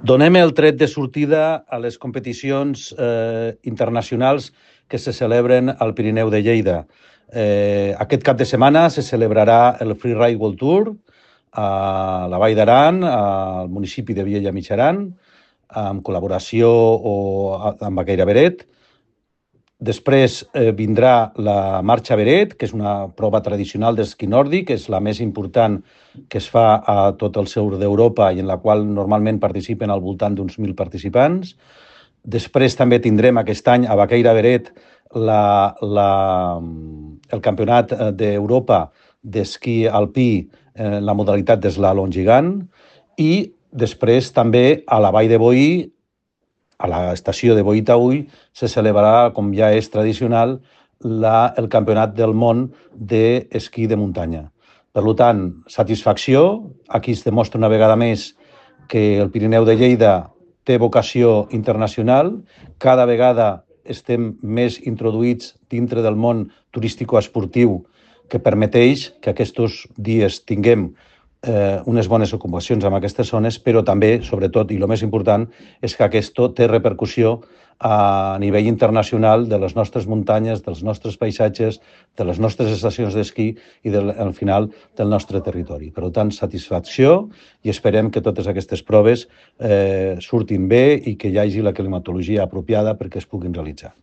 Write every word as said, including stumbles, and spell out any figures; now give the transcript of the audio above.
Donem el tret de sortida a les competicions eh, internacionals que se celebren al Pirineu de Lleida. Eh, aquest cap de setmana se celebrarà el Freeride World Tour a la Vall d'Aran, al municipi de Viella Mitjaran, amb col·laboració o amb Baqueira Beret. Després eh, vindrà la Marxa Beret, que és una prova tradicional d'esquí nòrdic, és la més important que es fa a tot el sud d'Europa i en la qual normalment participen al voltant d'uns mil participants. Després també tindrem aquest any a Baqueira Beret la, la, el Campionat d'Europa d'esquí alpí en la modalitat d'eslalom gegant i després també a la Vall de Boí, a l'estació de Boí-Taüll, se celebrarà, com ja és tradicional, la, el Campionat del Món d'esquí de muntanya. Per tant, satisfacció. Aquí es demostra una vegada més que el Pirineu de Lleida té vocació internacional. Cada vegada estem més introduïts dintre del món turístico-esportiu que permeteix que aquests dies tinguem Eh, unes bones ocupacions en aquestes zones, però també, sobretot, i el més important, és que aquest té repercussió a nivell internacional de les nostres muntanyes, dels nostres paisatges, de les nostres estacions d'esquí i, del, al final, del nostre territori. Per tant, satisfacció i esperem que totes aquestes proves eh, surtin bé i que hi hagi la climatologia apropiada perquè es puguin realitzar.